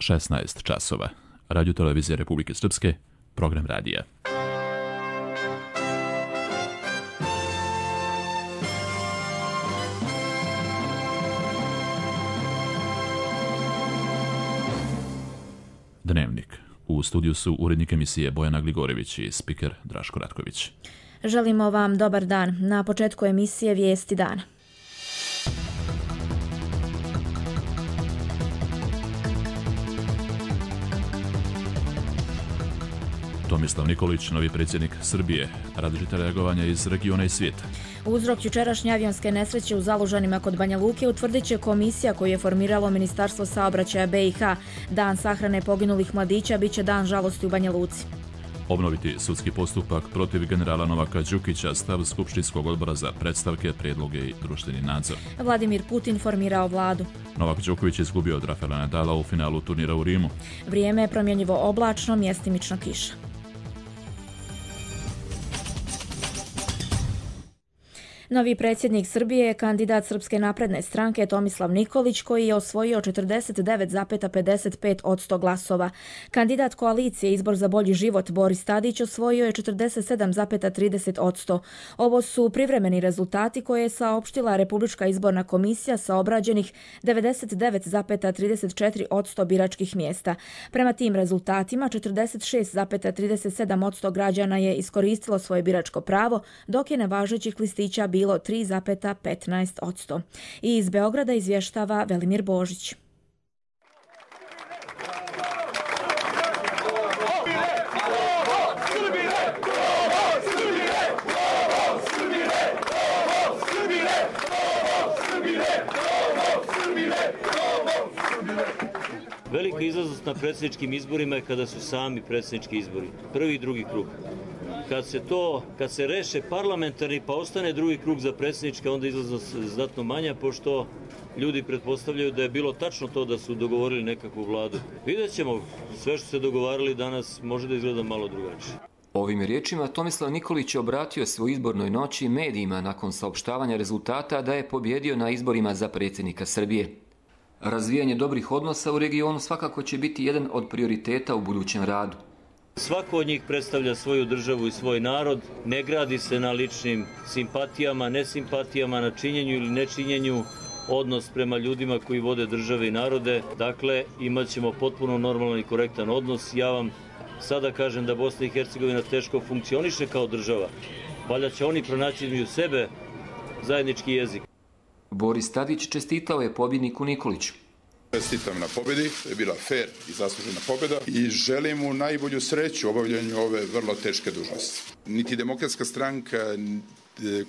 16 časova. Radio Televizija Republike Srpske, program radija. Dnevnik. U studiju su urednik emisije Bojana Gligorević i spiker Draško Ratković. Želimo vam dobar dan. Na početku emisije Vijesti dana. Tomislav Nikolić, novi predsjednik Srbije, različita reagovanja iz regiona i svijeta. Uzrok jučerašnje avionske nesreće u Zalužanima kod Banja Luke utvrdit će komisija koju je formiralo Ministarstvo saobraćaja BiH. Dan sahrane poginulih mladića bit će dan žalosti u Banja Luci. Obnoviti sudski postupak protiv generala Novaka Đukića, stav Skupštinskog odbora za predstavke, prijedloge i društveni nadzor. Vladimir Putin formirao vladu. Novak Đoković izgubio od Rafaela Nadala u finalu turnira u Rimu. Vrijeme je promjenjivo oblačno, mjestimično kiša. Novi predsjednik Srbije je kandidat Srpske napredne stranke Tomislav Nikolić, koji je osvojio 49,55% glasova. Kandidat koalicije Izbor za bolji život Boris Tadić osvojio je 47,30%. Ovo su privremeni rezultati koje je saopštila Republička izborna komisija sa obrađenih 99,34% biračkih mjesta. Prema tim rezultatima 46,37% građana je iskoristilo svoje biračko pravo, dok je nevažećih listića bilo 3,15%. I iz Beograda izvještava Velimir Božić. Velika izlaznost na predsjedničkim izborima je kada su sami predsjednički izbori. Prvi i drugi krug. Kad se reše parlamentarni pa ostane drugi krug za predsjedničke, onda izlaznost znatno manja, pošto ljudi pretpostavljaju da je bilo tačno to da su dogovorili nekakvu vladu. Vidjet ćemo, sve što se dogovarali danas može da izgleda malo drugačije. Ovim riječima Tomislav Nikolić je obratio svoj izbornoj noći medijima nakon saopštavanja rezultata da je pobjedio na izborima za predsjednika Srbije. Razvijanje dobrih odnosa u regionu svakako će biti jedan od prioriteta u budućem radu. Svako od njih predstavlja svoju državu i svoj narod, ne gradi se na ličnim simpatijama, nesimpatijama, na činjenju ili nečinjenju, odnos prema ljudima koji vode države i narode. Dakle, imat ćemo potpuno normalan i korektan odnos. Ja vam sada kažem da Bosna i Hercegovina teško funkcioniše kao država. Valjda će oni pronaći između sebe zajednički jezik. Boris Tadić čestitao je pobjedniku Nikoliću. Čestitam na pobjedi, to je bila fair i zaslužena pobjeda i želim mu najbolju sreću u obavljanju ove vrlo teške dužnosti. Niti Demokratska stranka,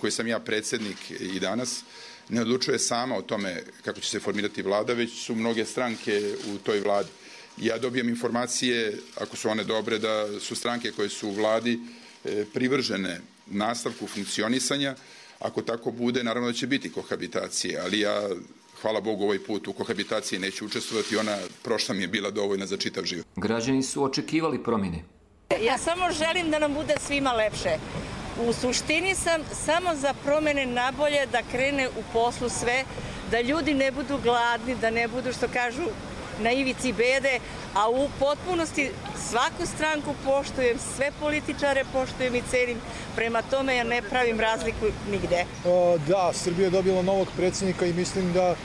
koji sam ja predsjednik i danas, ne odlučuje sama o tome kako će se formirati vlada, već su mnoge stranke u toj vladi. Ja dobijem informacije, ako su one dobre, da su stranke koje su u vladi privržene nastavku funkcionisanja. Ako tako bude, naravno da će biti kohabitacije, ali ja, hvala Bogu, ovaj put u kohabitaciji neću učestvovati, ona prošla mi je bila dovoljna za čitav život. Građani su očekivali promjene. Ja samo želim da nam bude svima lepše. U suštini sam samo za promjene nabolje, da krene u poslu sve, da ljudi ne budu gladni, da ne budu, što kažu, na ivici bede, a u potpunosti svaku stranku poštujem, sve političare poštujem i cenim, prema tome ja ne pravim razliku nigde. Da, Srbija je dobila novog predsjednika i mislim da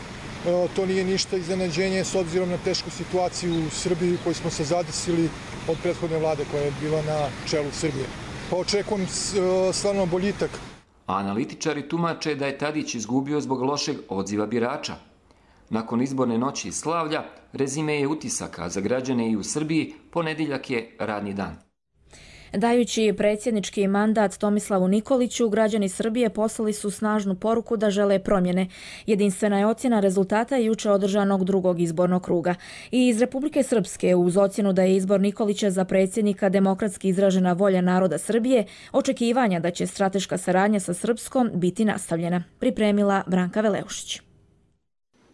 to nije ništa iznenađenje s obzirom na tešku situaciju u Srbiji koju smo se zadesili od prethodne vlade koja je bila na čelu Srbije. Pa očekujem stvarno boljitak. Analitičari tumače da je Tadić izgubio zbog lošeg odziva birača. Nakon izborne noći i slavlja, rezime je utisaka za građane i u Srbiji, ponedjeljak je radni dan. Dajući predsjednički mandat Tomislavu Nikoliću, građani Srbije poslali su snažnu poruku da žele promjene. Jedinstvena je ocjena rezultata jučer održanog drugog izbornog kruga. I iz Republike Srpske, uz ocjenu da je izbor Nikolića za predsjednika demokratski izražena volja naroda Srbije, očekivanja da će strateška saradnja sa Srpskom biti nastavljena, pripremila Branka Veleušić.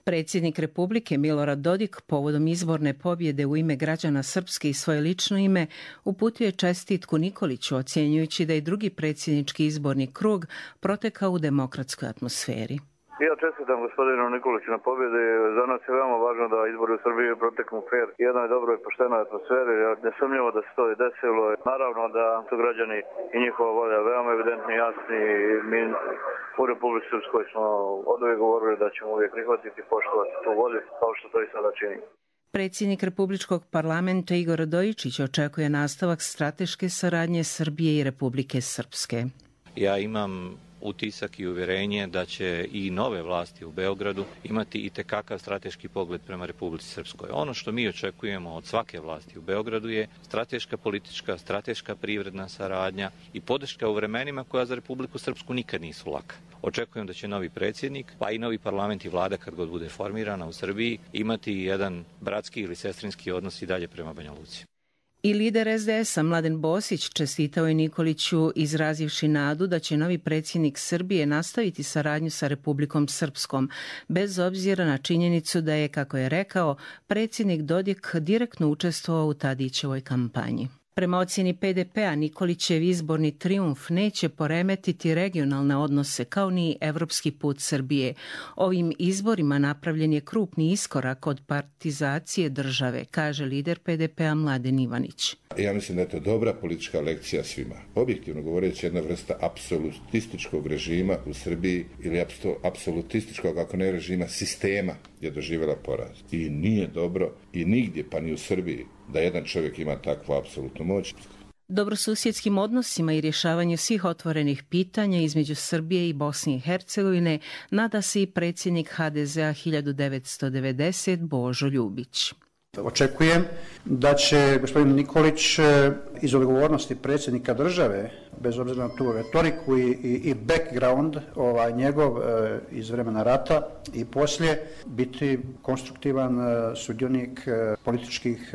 Predsjednik Republike Milorad Dodik povodom izborne pobjede u ime građana Srpske i svoje lično ime uputio je čestitku Nikoliću, ocjenjujući da je drugi predsjednički izborni krug protekao u demokratskoj atmosferi. Ja čestitam gospodinu Nikoliću na pobjedi. Za nas je veoma važno da izbori u Srbiji proteknu fair i jednoj dobroj i poštenoj atmosferi. Nesumnjivo da se to i desilo. Naravno da su građani i njihova volja veoma evidentni i jasni. Mi u Republici Srpskoj smo oduvijek govorili da ćemo uvijek prihvatiti i poštovati tu volju, kao što to i sada čini. Predsjednik Republičkog parlamenta Igor Radojičić očekuje nastavak strateške saradnje Srbije i Republike Srpske. Ja imam utisak i uvjerenje da će i nove vlasti u Beogradu imati itekakav strateški pogled prema Republici Srpskoj. Ono što mi očekujemo od svake vlasti u Beogradu je strateška politička, strateška privredna saradnja i podrška u vremenima koja za Republiku Srpsku nikad nisu laka. Očekujem da će novi predsjednik, pa i novi parlament i vlada kad god bude formirana u Srbiji, imati jedan bratski ili sestrinski odnos i dalje prema Banja Luci. I lider SDS-a Mladen Bosić čestitao je Nikoliću izrazivši nadu da će novi predsjednik Srbije nastaviti saradnju sa Republikom Srpskom, bez obzira na činjenicu da je, kako je rekao, predsjednik Dodik direktno učestvovao u Tadićevoj kampanji. Prema ocjeni PDP-a Nikolićev izborni trijumf neće poremetiti regionalne odnose kao ni evropski put Srbije. Ovim izborima napravljen je krupni iskorak od partizacije države, kaže lider PDP-a Mladen Ivanić. Ja mislim da je to dobra politička lekcija svima. Objektivno govoreći, jedna vrsta apsolutističkog režima u Srbiji ili apsolutističkog, ako ne režima, sistema je doživjela poraz. I nije dobro i nigdje, pa ni u Srbiji, da jedan čovjek ima takvu apsolutnu moć. Dobrosusjedskim odnosima i rješavanju svih otvorenih pitanja između Srbije i Bosne i Hercegovine nada se i predsjednik HDZ-a 1990 Božo Ljubić. Očekujem da će gospodin Nikolić iz odgovornosti predsjednika države, bez obzira na tu retoriku i background njegov iz vremena rata i poslije, biti konstruktivan sudionik političkih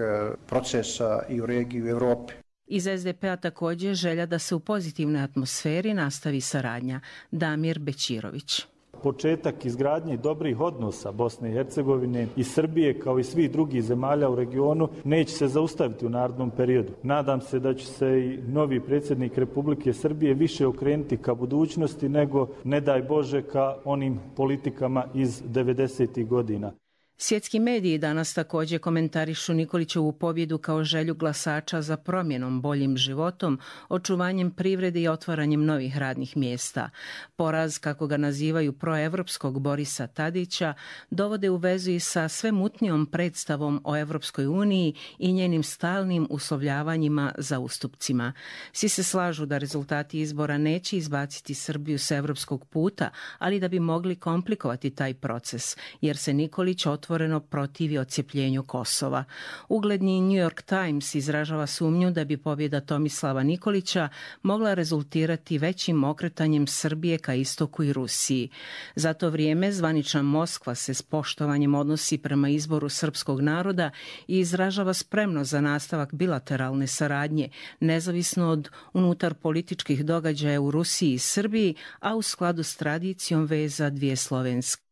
procesa i u regiji i u Europi. Iz SDP-a također želja da se u pozitivnoj atmosferi nastavi saradnja. Damir Bećirović. Početak izgradnje dobrih odnosa Bosne i Hercegovine i Srbije kao i svih drugih zemalja u regionu neće se zaustaviti u narednom periodu. Nadam se da će se i novi predsjednik Republike Srbije više okrenuti ka budućnosti nego, ne daj Bože, ka onim politikama iz 90. godina. Svjetski mediji danas također komentarišu Nikolićevu pobjedu kao želju glasača za promjenom, boljim životom, očuvanjem privrede i otvaranjem novih radnih mjesta. Poraz, kako ga nazivaju proevropskog Borisa Tadića, dovode u vezu i sa sve mutnijom predstavom o Evropskoj uniji i njenim stalnim uslovljavanjima za ustupcima. Svi se slažu da rezultati izbora neće izbaciti Srbiju s evropskog puta, ali da bi mogli komplikovati taj proces, jer se Nikolić otvoreno protivi odcjepljenju Kosova. Ugledni New York Times izražava sumnju da bi pobjeda Tomislava Nikolića mogla rezultirati većim okretanjem Srbije ka istoku i Rusiji. Za to vrijeme zvanična Moskva se s poštovanjem odnosi prema izboru srpskog naroda i izražava spremnost za nastavak bilateralne saradnje, nezavisno od unutar političkih događaja u Rusiji i Srbiji, a u skladu s tradicijom veza dvije slovenske.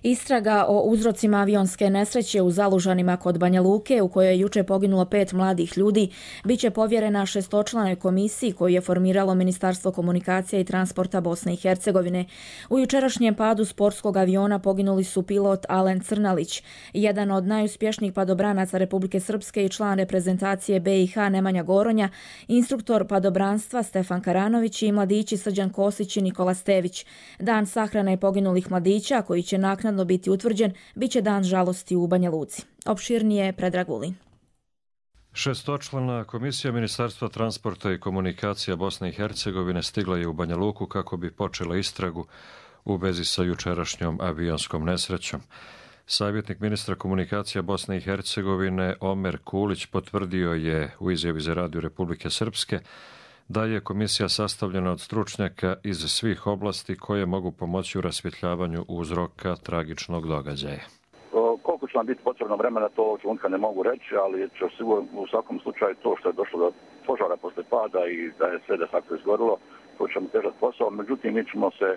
Istraga o uzrocima avionske nesreće u Zalužanima kod Banja Luke, u kojoj je juče poginulo 5 mladih ljudi, bit će povjerena 6-članoj komisiji koju je formiralo Ministarstvo komunikacija i transporta Bosne i Hercegovine. U jučerašnjem padu sportskog aviona poginuli su pilot Alen Crnalić, jedan od najuspješnijih padobranaca Republike Srpske i član reprezentacije BiH Nemanja Goronja, instruktor padobranstva Stefan Karanović i mladići Srđan Kosić i Nikola Stević. Dan sahrane poginulih mladića, koji će naknadno biti utvrđen, bit će dan žalosti u Banja Luci. Opširnije Predrag Vulin. 6-člana komisija Ministarstva transporta i komunikacija Bosne i Hercegovine stigla je u Banja Luku kako bi počela istragu u vezi sa jučerašnjom avionskom nesrećom. Savjetnik ministra komunikacija Bosne i Hercegovine Omer Kulić potvrdio je u izjavi za Radio Republike Srpske da je komisija sastavljena od stručnjaka iz svih oblasti koje mogu pomoći u rasvjetljavanju uzroka tragičnog događaja. Koliko će nam biti potrebno vremena, to ovog trenutka ne mogu reći, ali će sigurno u svakom slučaju to što je došlo do požara posle pada i da je sve de facto izgorilo, to ćemo težati posao. Međutim, mi ćemo se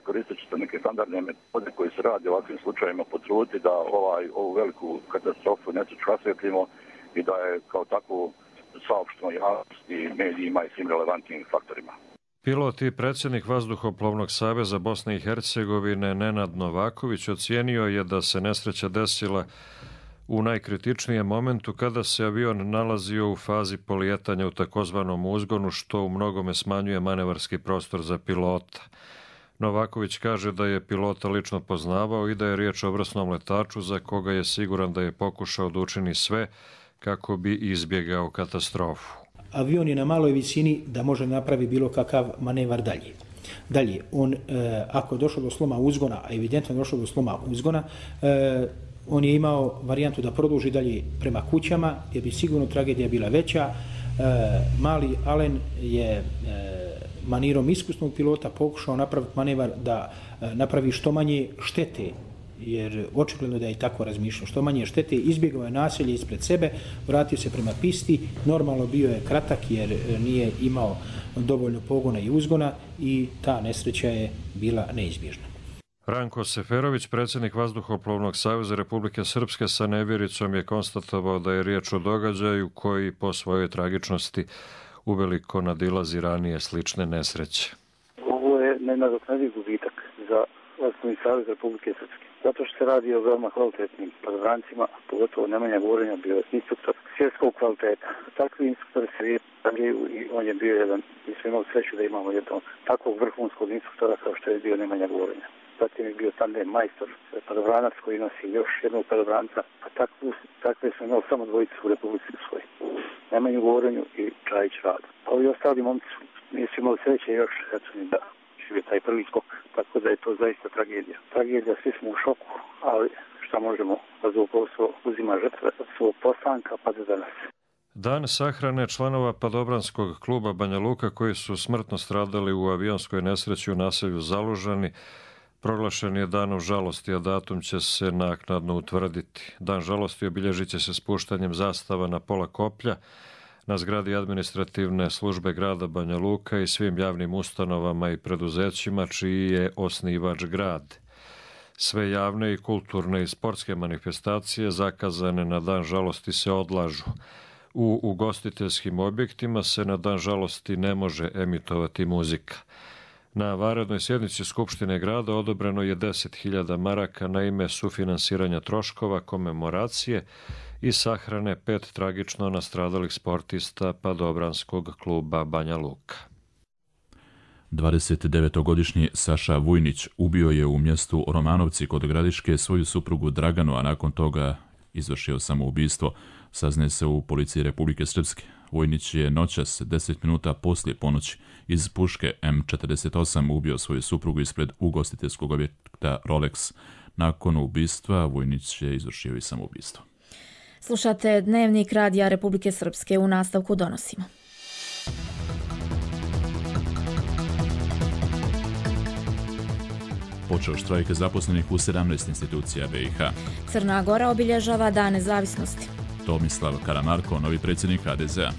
koristeći neke standardne metode koje se radi u ovakvim slučajima potruditi da ovu veliku katastrofu nesreću rasvjetljimo i da je kao takvu saopštenoj javnosti, medijima i svim relevantnim faktorima. Pilot i predsjednik Vazduhoplovnog saveza Bosne i Hercegovine Nenad Novaković ocijenio je da se nesreća desila u najkritičnijem momentu kada se avion nalazio u fazi polijetanja u takozvanom uzgonu, što u mnogome smanjuje manevarski prostor za pilota. Novaković kaže da je pilota lično poznavao i da je riječ o vrsnom letaču za koga je siguran da je pokušao da učini sve kako bi izbjegao katastrofu. Avion je na maloj visini da može napravi bilo kakav manevar dalje. Dalje, on, ako je došlo do sloma uzgona, a evidentno je došlo do sloma uzgona, on je imao varijantu da produži dalje prema kućama, gdje bi sigurno tragedija bila veća. Mali Alen je manirom iskusnog pilota pokušao napraviti manevar da napravi što manje štete, jer očigledno da je i tako razmišljao. Što manje štete, izbjegao je naselje ispred sebe, vratio se prema pisti, normalno bio je kratak jer nije imao dovoljno pogona i uzgona i ta nesreća je bila neizbježna. Ranko Seferović, predsjednik Vazduhoplovnog saveza Republike Srpske, sa nevjericom je konstatovao da je riječ o događaju koji po svojoj tragičnosti uveliko nadilazi ranije slične nesreće. Ovo je nenadoknadiv gubitak za Vazduhoplovni savez Republike Srpske. Zato što se radi o veoma kvalitetnim padobrancima, pogotovo Nemanja Gorenja bio instruktor svjetskog kvaliteta. Takvi instruktori se javljaju i on je bio jedan, mi smo imali sreću da imamo jednog takvog vrhunskog instruktora kao što je bio Nemanja Gorenja. Zatim je bio tandem majstor, padobranac koji nosi još jednog padobranca, a takve smo imali samo dvojice u Republici Srpskoj. Nemanju Gorenju i Čajić Radu. A ovi ostali momci nisu imali sreće još, eto mi da žive taj prvi skok, tako da je to zaista tragedija. Tragedija, svi smo u šoku, ali šta možemo, vazduhoplovstvo uzima žrtve od svog postanka pa do danas. Dan sahrane članova padobranskog kluba Banja Luka koji su smrtno stradali u avionskoj nesreći u naselju Zalužani proglašen je danom žalosti, a datum će se naknadno utvrditi. Dan žalosti obilježit će se spuštanjem zastava na pola koplja na zgradi administrativne službe grada Banja Luka i svim javnim ustanovama i preduzećima čiji je osnivač grad. Sve javne i kulturne i sportske manifestacije zakazane na dan žalosti se odlažu. U ugostiteljskim objektima se na dan žalosti ne može emitovati muzika. Na vanrednoj sjednici Skupštine grada odobreno je 10.000 maraka na ime sufinansiranja troškova komemoracije i sahrane 5 tragično nastradalih sportista padobranskog kluba Banja Luka. 29-godišnji Saša Vujnić ubio je u mjestu Romanovci kod Gradiške svoju suprugu Draganu, a nakon toga izvršio samoubistvo, saznaje se u policiji Republike Srpske. Vujnić je noćas 10 minuta poslije ponoći iz puške M48 ubio svoju suprugu ispred ugostiteljskog objekta Rolex. Nakon ubistva Vujnić je izvršio i samoubistvo. Slušate Dnevnik Radija Republike Srpske, u nastavku donosimo. Počeo štrajk zaposlenih u 17 institucija BiH. Crna Gora obilježava Dan nezavisnosti. Tomislav Karamarko, novi predsjednik HDZ-a.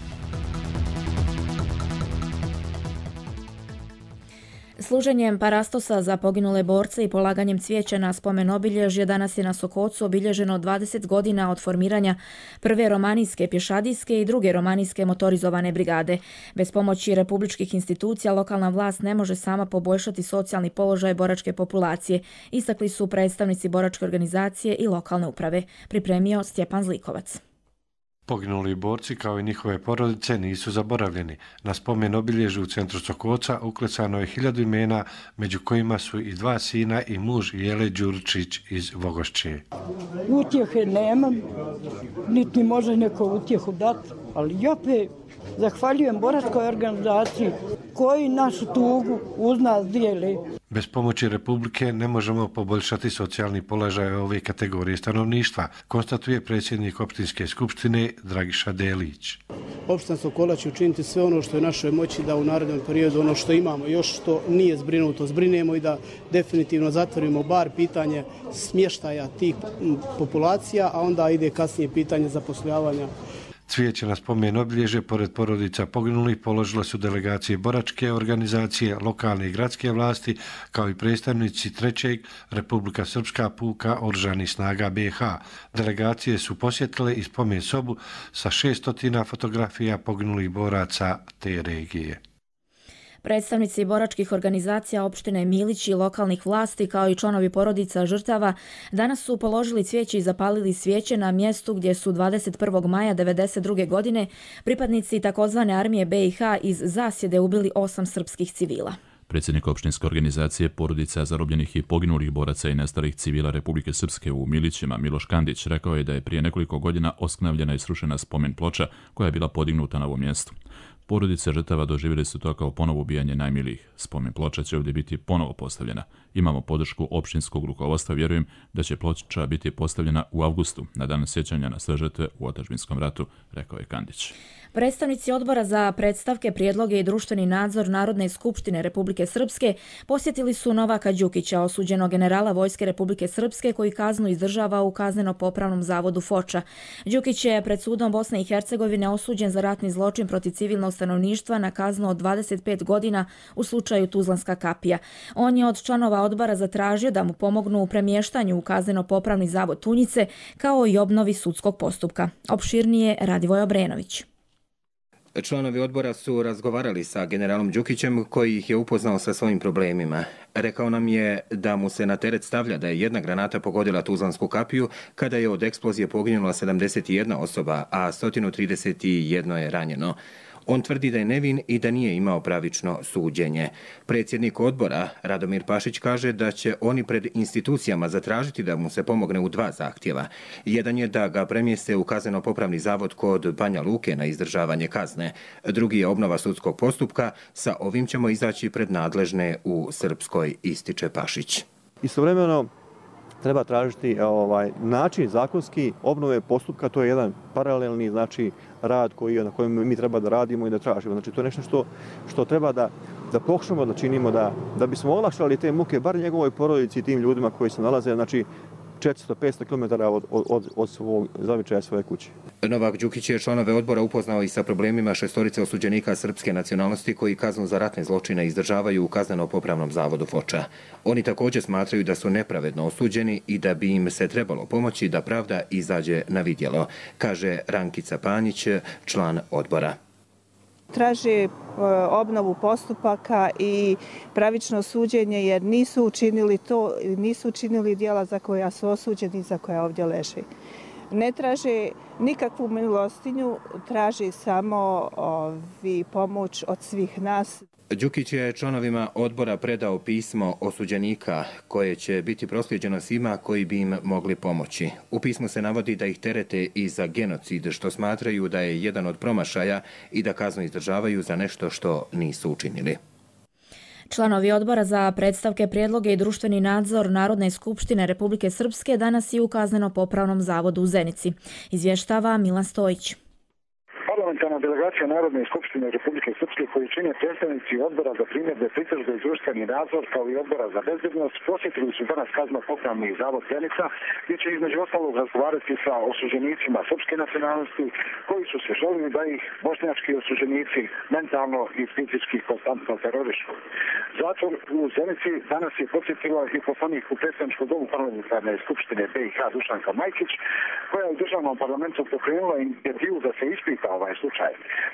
Služenjem parastosa za poginule borce i polaganjem cvijeća na spomen obilježje danas je na Sokocu obilježeno 20 godina od formiranja prve romanijske pješadijske i druge romanijske motorizovane brigade. Bez pomoći republičkih institucija lokalna vlast ne može sama poboljšati socijalni položaj boračke populacije, istakli su predstavnici boračke organizacije i lokalne uprave. Pripremio Stjepan Zlikovac. Poginuli borci kao i njihove porodice nisu zaboravljeni. Na spomen obilježju u centru Sokoca uklecano je 1000 imena, među kojima su i 2 sina i muž Jele Đuričić iz Vogošće. Utjehe nemam, niti može neko utjehu dati, ali opet zahvaljujem boračkoj organizaciji koji našu tugu uz nas dijeli. Bez pomoći Republike ne možemo poboljšati socijalni položaj ove kategorije stanovništva, konstatuje predsjednik opštinske skupštine Dragiša Delić. Opština Sokola će učiniti sve ono što je našoj moći da u narednom periodu ono što imamo još što nije zbrinuto zbrinemo i da definitivno zatvorimo bar pitanje smještaja tih populacija, a onda ide kasnije pitanje zapošljavanja. Cvijeće na spomen obilježje pored porodica poginulih položile su delegacije boračke organizacije, lokalne i gradske vlasti, kao i predstavnici 3. Republika Srpska puka oružanih snaga BiH. Delegacije su posjetile i spomen sobu sa 600 fotografija poginulih boraca te regije. Predstavnici boračkih organizacija opštine Milić i lokalnih vlasti kao i članovi porodica žrtava danas su položili cvijeće i zapalili svijeće na mjestu gdje su 21. maja 1992. godine pripadnici takozvane armije BiH iz zasjede ubili 8 srpskih civila. Predsjednik opštinske organizacije porodica zarobljenih i poginulih boraca i nestalih civila Republike Srpske u Milićima Miloš Kandić rekao je da je prije nekoliko godina osknavljena i srušena spomen ploča koja je bila podignuta na ovom mjestu. Porodice žrtava doživjeli su to kao ponovo ubijanje najmilijih. Spomen ploča će ovdje biti ponovo postavljena. Imamo podršku opštinskog rukovodstva, vjerujem da će ploča biti postavljena u avgustu, na dan sjećanja na sve žrtve u otadžbinskom ratu, rekao je Kandić. Predstavnici Odbora za predstavke, prijedloge i društveni nadzor Narodne skupštine Republike Srpske posjetili su Novaka Đukića, osuđenog generala Vojske Republike Srpske koji kaznu izdržava u kazneno-popravnom zavodu Foča. Đukić je pred sudom Bosne i Hercegovine osuđen za ratni zločin protiv civilnog stanovništva na kaznu od 25 godina u slučaju Tuzlanska kapija. On je od članova odbora zatražio da mu pomognu u premještanju u kazneno-popravni zavod Tunjice kao i obnovi sudskog postupka. Opširnije Radivoj Obrenović. Članovi odbora su razgovarali sa generalom Đukićem koji ih je upoznao sa svojim problemima. Rekao nam je da mu se na teret stavlja da je jedna granata pogodila Tuzlansku kapiju kada je od eksplozije poginula 71 osoba, a 131 je ranjeno. On tvrdi da je nevin i da nije imao pravično suđenje. Predsjednik odbora, Radomir Pašić, kaže da će oni pred institucijama zatražiti da mu se pomogne u 2 zahtjeva. Jedan je da ga premjeste u kazneno-popravni zavod kod Banja Luke na izdržavanje kazne. Drugi je obnova sudskog postupka. Sa ovim ćemo izaći pred nadležne u Srpskoj, ističe Pašić. Istovremeno treba tražiti način zakonski obnove postupka, to je jedan paralelni rad na kojem mi treba da radimo i da tražimo. Znači to je nešto što treba da pokušamo da činimo da bismo olakšali te muke bar njegovoj porodici i tim ljudima koji se nalaze 400-500 km od svog zavičaja svoje kuće. Novak Đukić je članove odbora upoznao i sa problemima 6 osuđenika srpske nacionalnosti koji kaznu za ratne zločine izdržavaju u kazneno-popravnom zavodu Foča. Oni također smatraju da su nepravedno osuđeni i da bi im se trebalo pomoći da pravda izađe na vidjelo, kaže Rankica Panjić, član odbora. Traže obnovu postupaka i pravično suđenje jer nisu učinili djela za koja su osuđeni i za koja ovdje leže. Ne traže nikakvu milostinju, traže samo pomoć od svih nas. Đukić je članovima odbora predao pismo osuđenika koje će biti proslijeđeno svima koji bi im mogli pomoći. U pismu se navodi da ih terete i za genocid, što smatraju da je jedan od promašaja i da kaznu izdržavaju za nešto što nisu učinili. Članovi Odbora za predstavke, prijedloge i društveni nadzor Narodne skupštine Republike Srpske danas i u kazneno-popravnom zavodu u Zenici. Izvještava Milan Stojić. Parlamentarna delegacija Narodne skupštine Republike Srpske koji čine predstavnici Odbora za primjedbe, pritužbe i društveni nadzor kao i Odbora za bezbednost posjetili su danas kazneno-popravni zavod Zenica gdje će između ostalog razgovarati sa osuđenicima srpske nacionalnosti koji su se žalili da ih bošnjački osuđenici mentalno i fizički konstantno terorišu. Zatvor u Zenici danas je posjetila i poslanik u predstavničkom domu Parlamentarne skupštine BiH Dušanka Majkić koja je u državnom parlamentu pokrenula inicijativu da se ispita ovaj slučaj.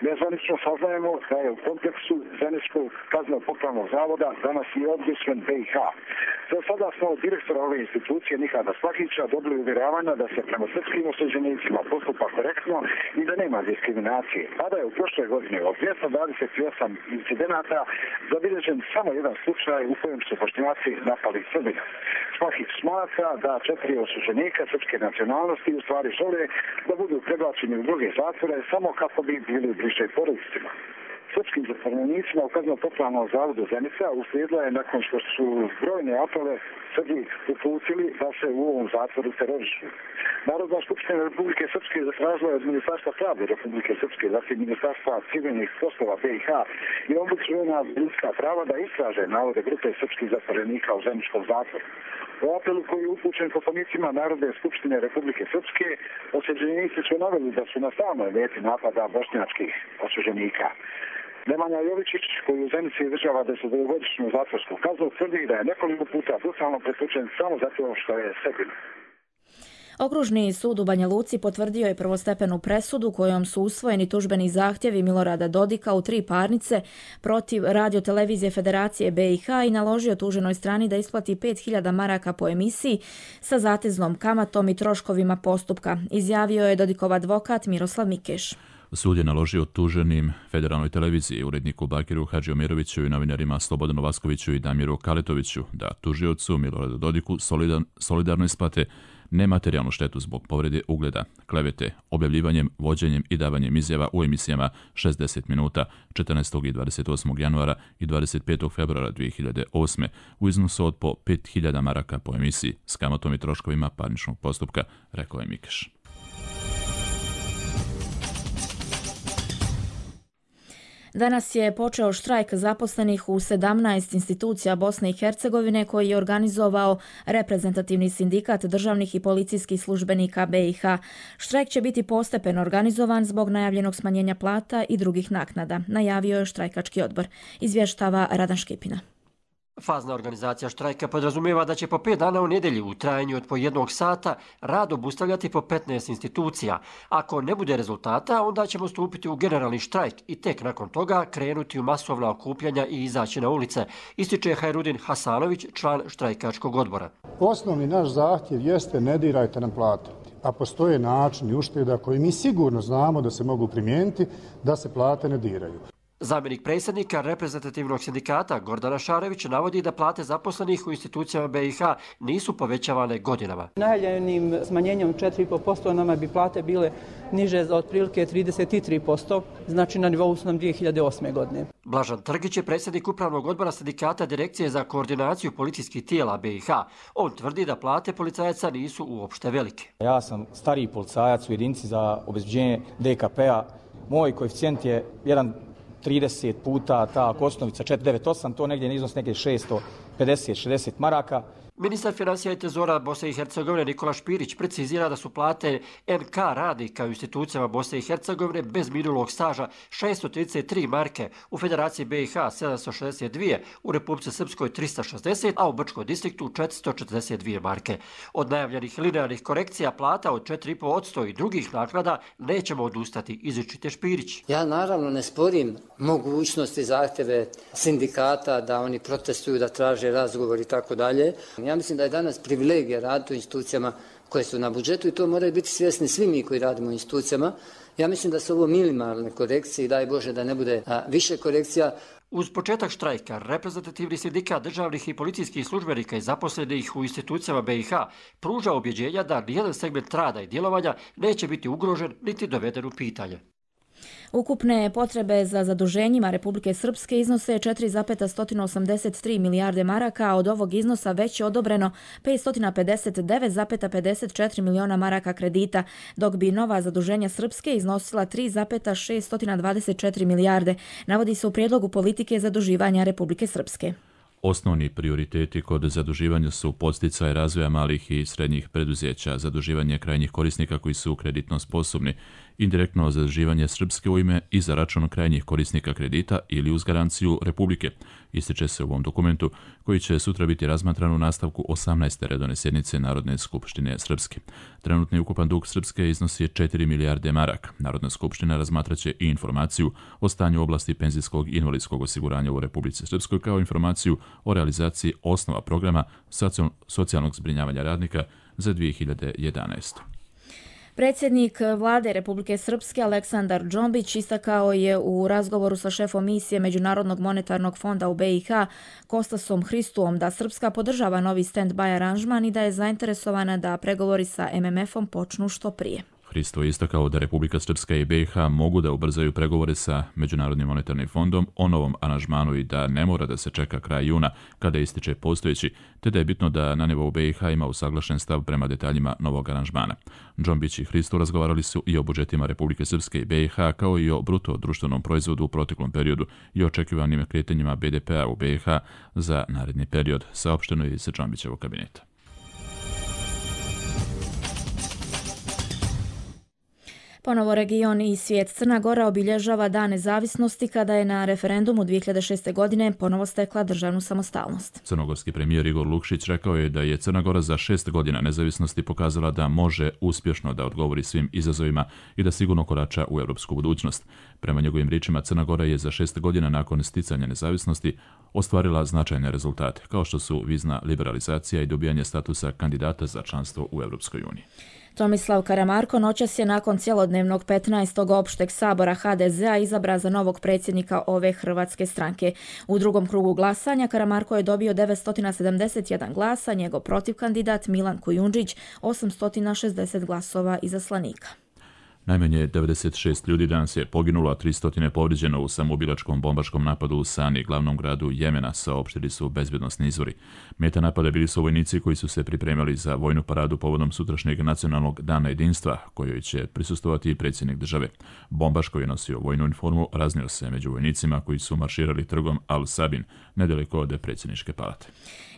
Nezvanično saznajemo da je u kompleksu Zeničkog kazneno-popravnog zavoda danas i ombudsman BiH. Za sada smo od direktora ove institucije Nikada Slahića dobili uvjeravanja da se prema srpskim osuđenicima postupa korektno i da nema diskriminacije. Tada je u prošle godine od 228 incidenata zabilježen samo jedan slučaj u kojem su Bošnjaci napali Srbina. Slahić smatra da 4 osuđenika srpske nacionalnosti u stvari žele da budu prebačeni u druge zatvore samo kako bi bili bliže porodicima. Srpskim zatvorenicima u kazneno-popravnom zavodu Zenica uslijedila je nakon što su brojne apele Srbi uputili da se u ovom zatvoru terorišu. Narodna skupština Republike Srpske zatražila od Ministarstva pravde Republike Srpske, zatim Ministarstva civilnih poslova BiH i ombudsmana za ljudska prava da istraže navode grupe srpskih zatvorenika u Zeničkom zatvoru. U apelu koji je upućen poslanicima Narodne skupštine Republike Srpske, osuđenici su naveli da su na samoj meti napada bošnjačkih osuđenika. Nemanja Jovičić, koji u Zenici izdržava 10-godišnju zatvorsku kaznu, tvrdi da je nekoliko puta brutalno pretučen samo zato što je Srbin. Okružni sud u Banja Luci potvrdio je prvostepenu presudu kojom su usvojeni tužbeni zahtjevi Milorada Dodika u 3 parnice protiv Radiotelevizije Federacije BiH i naložio tuženoj strani da isplati 5.000 maraka po emisiji sa zateznom kamatom i troškovima postupka, izjavio je Dodikov advokat Miroslav Mikeš. Sud je naložio tuženim Federalnoj televiziji, uredniku Bakiru Hadžiomiroviću i novinarima Slobodanu Vaskoviću i Damiru Kaletoviću da tužiocu Miloradu Dodiku solidarno isplate nematerijalnu štetu zbog povrede ugleda, klevete, objavljivanjem, vođenjem i davanjem izjava u emisijama 60 minuta 14. i 28. januara i 25. februara 2008. u iznosu od po 5.000 maraka po emisiji s kamatom i troškovima parničnog postupka, rekao je Mikeš. Danas je počeo štrajk zaposlenih u 17 institucija Bosne i Hercegovine koji je organizovao reprezentativni sindikat državnih i policijskih službenika BiH. Štrajk će biti postepeno organizovan zbog najavljenog smanjenja plata i drugih naknada, najavio je štrajkački odbor, izvještava Radan Škipina. Fazna organizacija štrajka podrazumijeva da će po 5 dana u nedjelju u trajanju od po 1 sata rad obustavljati po 15 institucija. Ako ne bude rezultata, onda ćemo stupiti u generalni štrajk i tek nakon toga krenuti u masovna okupljanja i izaći na ulice, ističe Hajrudin Hasanović, član štrajkačkog odbora. Osnovni naš zahtjev jeste ne dirajte nam plate, a postoje načini ušteda koji mi sigurno znamo da se mogu primijeniti da se plate ne diraju. Zamjenik predsjednika reprezentativnog sindikata Gordana Šarević navodi da plate zaposlenih u institucijama BiH nisu povećavane godinama. Najavljenim smanjenjem 4,5% nama bi plate bile niže za otprilike 33%, znači na nivou su nam 2008. godine. Blažan Trgić je predsjednik upravnog odbora sindikata Direkcije za koordinaciju policijskih tijela BiH. On tvrdi da plate policajaca nisu uopšte velike. Ja sam stariji policajac u jedinici za obezbeđenje DKP-a. Moj koeficijent je 1,30 puta ta osnovica 498, to negdje iznos negdje 650-60 maraka. Ministar financija i trezora Bosne i Hercegovine Nikola Špirić precizira da su plate NK radnika u institucijama Bosne i Hercegovine bez minulog staža 633 marke, u Federaciji BiH 762, u Republici Srpskoj 360, a u Brčkom distriktu 442 marke. Od najavljenih linearnih korekcija plata od 4,5% i drugih naknada nećemo odustati, izričite Špirić. Ja naravno ne sporim mogućnosti zahtjeve sindikata da oni protestuju, da traže razgovor i tako dalje. Ja mislim da je danas privilegija raditi u institucijama koje su na budžetu i to moraju biti svjesni svi mi koji radimo u institucijama. Ja mislim da su ovo minimalne korekcije i daj Bože da ne bude više korekcija. Uz početak štrajka, reprezentativni sindikat državnih i policijskih službenika i zaposlenih u institucijama BiH pruža objeđenja da nijedan segment rada i djelovanja neće biti ugrožen niti doveden u pitanje. Ukupne potrebe za zaduženjima Republike Srpske iznose 4,183 milijarde maraka, a od ovog iznosa već je odobreno 559,54 miliona maraka kredita, dok bi nova zaduženja Srpske iznosila 3,624 milijarde, navodi se u prijedlogu politike zaduživanja Republike Srpske. Osnovni prioriteti kod zaduživanja su podsticaj razvoja malih i srednjih preduzeća, zaduživanje krajnjih korisnika koji su kreditno sposobni, indirektno zaduživanje Srpske u ime i za račun krajnjih korisnika kredita ili uz garanciju Republike, ističe se u ovom dokumentu koji će sutra biti razmatran u nastavku 18. redovne sjednice Narodne skupštine Srpske. Trenutni ukupan dug Srpske iznosi 4 milijarde maraka. Narodna skupština razmatraće i informaciju o stanju oblasti penzijskog i invalidskog osiguranja u Republici Srpskoj kao informaciju o realizaciji osnova programa socijalnog zbrinjavanja radnika za 2011. Predsjednik vlade Republike Srpske Aleksandar Džombić istakao je u razgovoru sa šefom misije Međunarodnog monetarnog fonda u BiH Kostasom Hristuom da Srpska podržava novi stand-by aranžman i da je zainteresovana da pregovori sa MMF-om počnu što prije. Hristo je istakao da Republika Srpska i BiH mogu da ubrzaju pregovore sa Međunarodnim monetarnim fondom o novom aranžmanu i da ne mora da se čeka kraj juna kada ističe postojeći, te da je bitno da na nivou BiH ima usaglašen stav prema detaljima novog aranžmana. Džombić i Hristo razgovarali su i o budžetima Republike Srpske i BiH kao i o bruto društvenom proizvodu u proteklom periodu i očekivanim kretanjima BDP-a u BiH za naredni period, saopšteno je iz Džombićevog kabineta. Ponovo region i svijet. Crna Gora obilježava Dan nezavisnosti kada je na referendumu 2006. godine ponovo stekla državnu samostalnost. Crnogorski premijer Igor Lukšić rekao je da je Crna Gora za 6 godina nezavisnosti pokazala da može uspješno da odgovori svim izazovima i da sigurno korača u europsku budućnost. Prema njegovim riječima, Crna Gora je za 6 godina nakon sticanja nezavisnosti ostvarila značajne rezultate, kao što su vizna liberalizacija i dobijanje statusa kandidata za članstvo u Europskoj uniji. Tomislav Karamarko noćas je nakon cjelodnevnog 15. opšteg sabora HDZ-a izabran za novog predsjednika ove hrvatske stranke. U drugom krugu glasanja Karamarko je dobio 971 glasa, njegov protivkandidat Milan Kujundžić 860 glasova izaslanika. Najmanje 96 ljudi danas je poginulo, a 300 povrijeđeno u samoubilačkom bombaškom napadu u Sani, glavnom gradu Jemena, saopštili su bezbjednosni izvori. Meta napada bili su vojnici koji su se pripremali za vojnu paradu povodom sutrašnjeg nacionalnog dana jedinstva, kojoj će prisustvovati i predsjednik države. Bombaš koji je nosio vojnu uniformu raznio se među vojnicima koji su marširali trgom Al-Sabin, nedaleko od predsjedničke palate.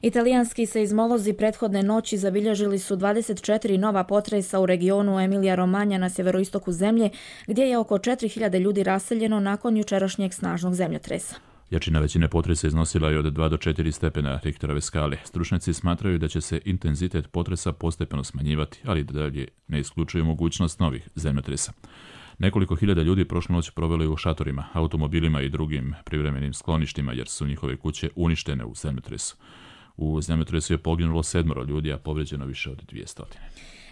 Italijanski seizmolozi prethodne noći zabilježili su 24 nova potresa u regionu Emilija-Romanja na sjeveroistoku zemlje, gdje je oko 4000 ljudi raseljeno nakon jučerašnjeg snažnog zemljotresa. Jačina većine potresa iznosila je od 2 do 4 stepena Richterove skale. Stručnjaci smatraju da će se intenzitet potresa postepeno smanjivati, ali dalje ne isključuju mogućnost novih zemljotresa. Nekoliko hiljada ljudi prošlu noć proveli u šatorima, automobilima i drugim privremenim skloništima jer su njihove kuće uništene u zemljotresu. U zemljotresu je poginulo 7 ljudi, a povrijeđeno više od 200.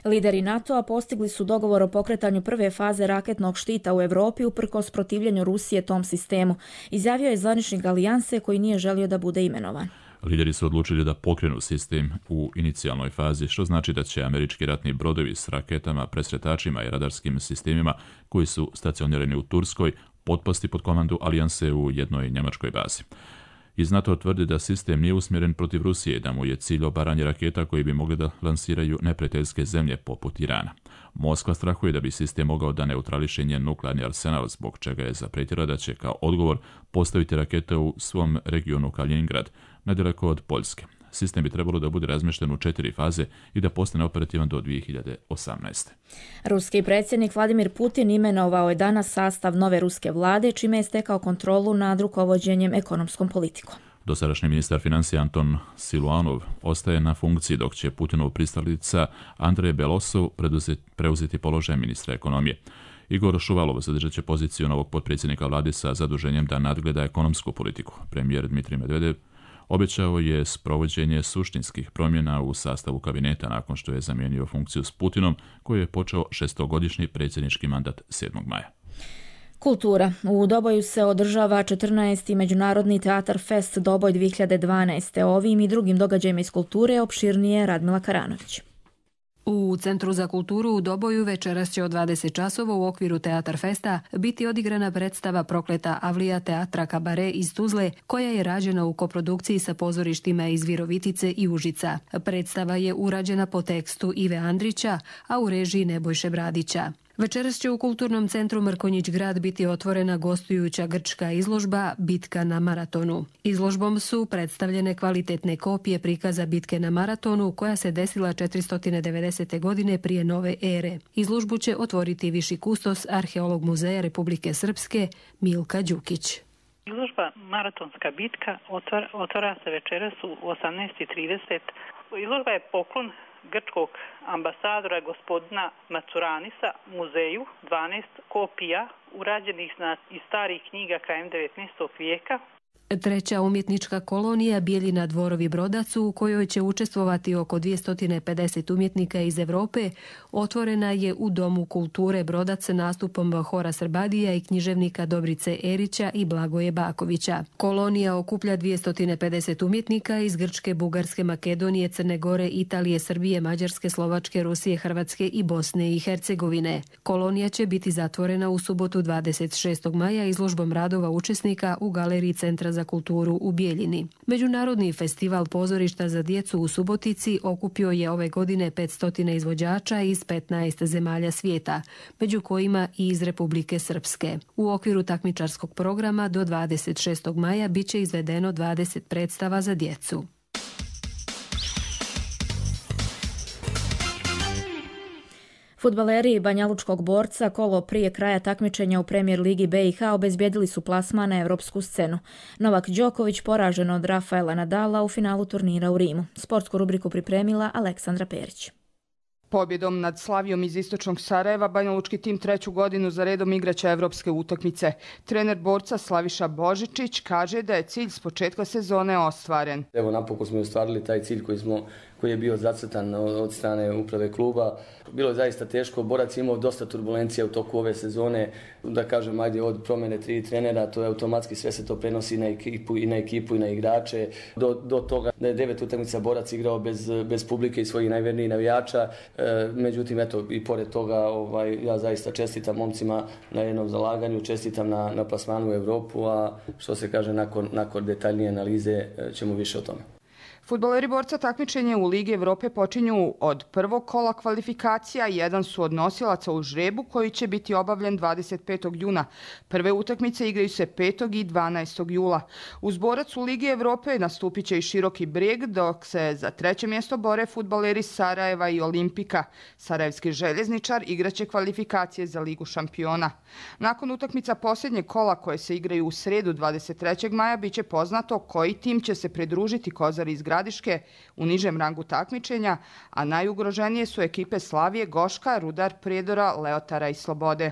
Lideri NATO-a postigli su dogovor o pokretanju prve faze raketnog štita u Europi uprkos protivljenju Rusije tom sistemu, izjavio je zvaničnik alijanse koji nije želio da bude imenovan. Lideri su odlučili da pokrenu sistem u inicijalnoj fazi, što znači da će američki ratni brodovi s raketama, presretačima i radarskim sistemima koji su stacionirani u Turskoj potpasti pod komandu alijanse u jednoj njemačkoj bazi. Iz NATO tvrdi da sistem nije usmjeren protiv Rusije, da mu je cilj obaranje raketa koji bi mogli da lansiraju neprijateljske zemlje poput Irana. Moskva strahuje da bi sistem mogao da neutrališe njen nuklearni arsenal, zbog čega je zapretila da će kao odgovor postaviti rakete u svom regionu Kaliningrad, nedaleko od Poljske. Sistem bi trebalo da bude razmješten u 4 faze i da postane operativan do 2018. Ruski predsjednik Vladimir Putin imenovao je danas sastav nove ruske vlade, čime je stekao kontrolu nad rukovođenjem ekonomskom politikom. Dosadašnji ministar financija Anton Siluanov ostaje na funkciji, dok će Putinov pristalica Andrej Belosov preuzeti položaj ministra ekonomije. Igor Šuvalov zadržat će poziciju novog potpredsjednika vlade sa zaduženjem da nadgleda ekonomsku politiku. Premijer Dmitrij Medvedev obećao je sprovođenje suštinskih promjena u sastavu kabineta nakon što je zamijenio funkciju s Putinom, koji je počeo 6-godišnji predsjednički mandat 7. maja. Kultura. U Doboju se održava 14. Međunarodni teatar Fest Doboj 2012. Ovim i drugim događajima iz kulture opširnije Radmila Karanović. U Centru za kulturu u Doboju večeras će od 20 časova u okviru Teatar Festa biti odigrana predstava Prokleta Avlija teatra Kabare iz Tuzle, koja je rađena u koprodukciji sa pozorištima iz Virovitice i Užica. Predstava je urađena po tekstu Ive Andrića, a u režiji Nebojše Bradića. Večeras će u Kulturnom centru Mrkonjić Grad biti otvorena gostujuća grčka izložba Bitka na maratonu. Izložbom su predstavljene kvalitetne kopije prikaza bitke na maratonu koja se desila 490. godine prije nove ere. Izložbu će otvoriti viši kustos Arheolog muzeja Republike Srpske Milka Đukić. Izložba Maratonska bitka otvara se večeras u 18:30. Izložba je poklon grčkog ambasadora gospodina Macuranisa muzeju, 12 kopija urađenih iz starih knjiga krajem 19. vijeka. Treća umjetnička kolonija Bijeljina Dvorovi Brodac, u kojoj će učestvovati oko 250 umjetnika iz Europe, otvorena je u Domu kulture Brodac nastupom Hora Srbadija i književnika Dobrice Erića i Blagoje Bakovića. Kolonija okuplja 250 umjetnika iz Grčke, Bugarske, Makedonije, Crne Gore, Italije, Srbije, Mađarske, Slovačke, Rusije, Hrvatske i Bosne i Hercegovine. Kolonija će biti zatvorena u subotu 26. maja izložbom radova učesnika u Galeriji Centra za kulturu u Bijeljini. Međunarodni festival pozorišta za djecu u Subotici okupio je ove godine 500 izvođača iz 15 zemalja svijeta, među kojima i iz Republike Srpske. U okviru takmičarskog programa do 26. maja bit će izvedeno 20 predstava za djecu. Fudbaleri Banjalučkog Borca kolo prije kraja takmičenja u Premier ligi BiH obezbijedili su plasman na evropsku scenu. Novak Đoković poražen od Rafaela Nadala u finalu turnira u Rimu. Sportsku rubriku pripremila Aleksandra Perić. Pobjedom nad Slavijom iz istočnog Sarajeva banjalučki tim treću godinu za redom igraće evropske utakmice. Trener Borca Slaviša Božičić kaže da je cilj s početka sezone ostvaren. Evo, napokon smo ostvarili taj cilj koji je bio zacrtan od strane uprave kluba. Bilo je zaista teško, Borac je imao dosta turbulencija u toku ove sezone, da kažem, ajde, od promjene 3 trenera, to je automatski, sve se to prenosi na ekipu i na igrače. Do toga da je 9 utakmica Borac igrao bez publike i svojih najvernijih navijača. Međutim, eto, i pored toga ja zaista čestitam momcima na jednom zalaganju, čestitam na plasmanu u Europu, a što se kaže, nakon detaljnije analize ćemo više o tome. Fudbaleri Borca takmičenje u Ligi Evrope počinju od prvog kola kvalifikacija, jedan su od nosilaca u žrebu koji će biti obavljen 25. juna. Prve utakmice igraju se 5. i 12. jula. Uz Borac u Ligi Evrope nastupit će i Široki Brijeg, dok se za treće mjesto bore fudbaleri Sarajeva i Olimpika. Sarajevski željezničar igraće kvalifikacije za Ligu šampiona. Nakon utakmica posljednjeg kola koje se igraju u sredu 23. maja biće poznato koji tim će se pridružiti Kozari iz Gradiške u nižem rangu takmičenja, a najugroženije su ekipe Slavije, Goška, Rudar, Prijedora, Leotara i Slobode.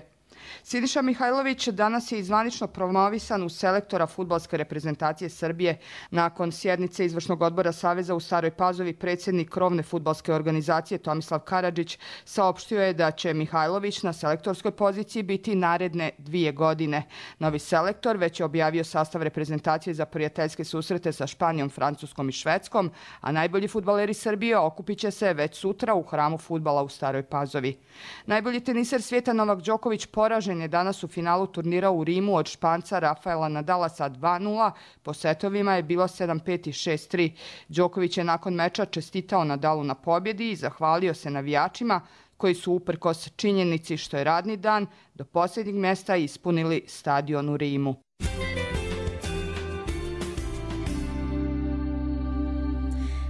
Siniša Mihajlović danas je zvanično promovisan u selektora fudbalske reprezentacije Srbije. Nakon sjednice izvršnog odbora Saveza u Staroj Pazovi, predsjednik krovne fudbalske organizacije Tomislav Karadžić saopštio je da će Mihajlović na selektorskoj poziciji biti naredne 2 godine. Novi selektor već je objavio sastav reprezentacije za prijateljske susrete sa Španijom, Francuskom i Švedskom, a najbolji fudbaleri Srbije okupit će se već sutra u hramu fudbala u Staroj Pazovi. Najbolji teniser svijeta Novak Đoković poražen je danas u finalu turnira u Rimu od Španca Rafaela Nadala sa 2:0. Po setovima je bilo 7:5 i 6:3. Đoković je nakon meča čestitao Nadalu na pobjedi i zahvalio se navijačima koji su uprkos činjenici što je radni dan do posljednjeg mjesta ispunili stadion u Rimu.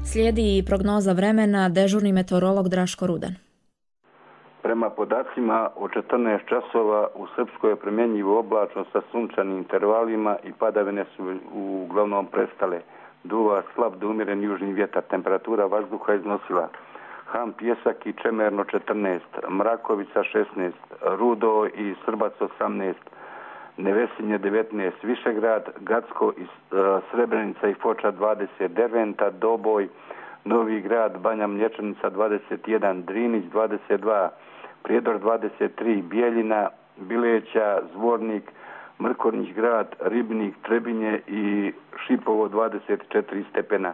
Slijedi i prognoza vremena, dežurni meteorolog Draško Rudan. Prema podacima od 14 časova u Srpskoj je primjenjivo oblačno sa sunčanim intervalima i padavine su uglavnom prestale. Duva slab do umjeren južni vjetar, temperatura vazduha iznosila Ham, Pjesak i Čemerno 14, Mrakovica 16, Rudo i Srbac 18, Nevesinje 19, Višegrad, Gacko i Srebrenica i Foča 20, Derventa, Doboj, Novi Grad, Banja Mlječanica 21, Drinić 22, Prijedor 23, Bijeljina, Bileća, Zvornik, Mrkornić grad, Ribnik, Trebinje i Šipovo 24 stepena.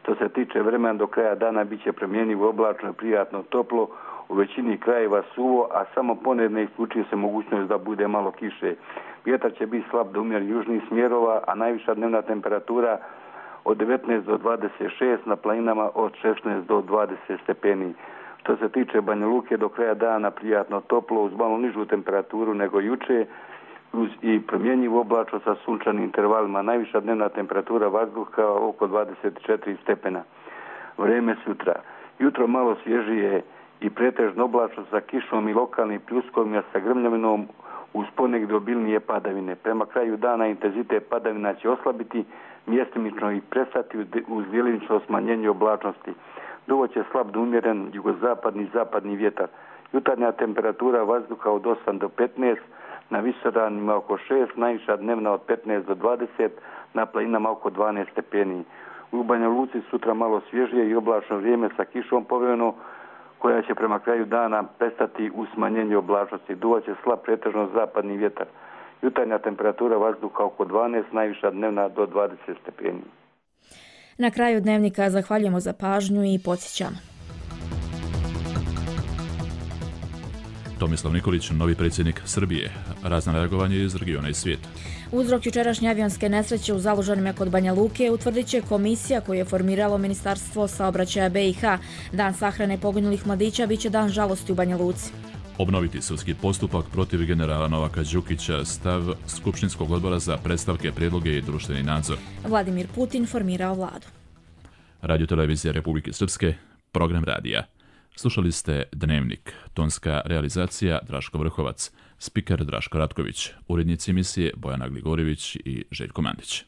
Što se tiče vremena do kraja dana bit će promjenjivo oblačno i prijatno toplo, u većini krajeva suvo, a samo ponedne isključuje se mogućnost da bude malo kiše. Vjetar će biti slab do umjeren južnih smjerova, a najviša dnevna temperatura od 19 do 26, na planinama od 16 do 20 stepeni. Što se tiče Banja Luke, do kraja dana prijatno toplo uz malo nižu temperaturu nego juče i promjenjivo oblačno sa sunčanim intervalima. Najviša dnevna temperatura vazduha oko 24 stepena. Vrijeme sutra. Jutro malo svježije i pretežno oblačno sa kišom i lokalnim pljuskovima sa grmljavinom uz ponegdje obilnije padavine. Prema kraju dana intenzitet padavina će oslabiti, mjestimično i prestati uz djelimično smanjenje oblačnosti. Duvo će slab do umjeren jugozapadni i zapadni vjetar. Jutarnja temperatura vazduha od 8 do 15, na visoravnima oko 6, najviša dnevna od 15 do 20, na planinama oko 12 stepeni. U Banja Luci sutra malo svježije i oblačno vrijeme sa kišom povremeno, koja će prema kraju dana prestati u smanjenju oblačnosti. Duvaće slab pretežno zapadni vjetar. Jutarnja temperatura vazduha oko 12, najviša dnevna do 20 stepeni. Na kraju dnevnika zahvaljujemo za pažnju i podsjećamo. Tomislav Nikolić, novi predsjednik Srbije. Razna reagovanje iz regiona i svijeta. Uzrok jučerašnje avionske nesreće u Zalužanima kod Banja Luke utvrdit će komisija koju je formiralo Ministarstvo saobraćaja BiH. Dan sahrane poginulih mladića biće dan žalosti u Banja Luci. Obnoviti sudski postupak protiv generala Novaka Đukića, stav Skupštinskog odbora za predstavke, prijedloge i društveni nadzor. Vladimir Putin formirao vladu. Radio-televizija Republike Srpske, program radija. Slušali ste Dnevnik, tonska realizacija Draško Vrhovac, spiker Draško Ratković, urednici emisije Bojana Gligorjević i Željko Mandić.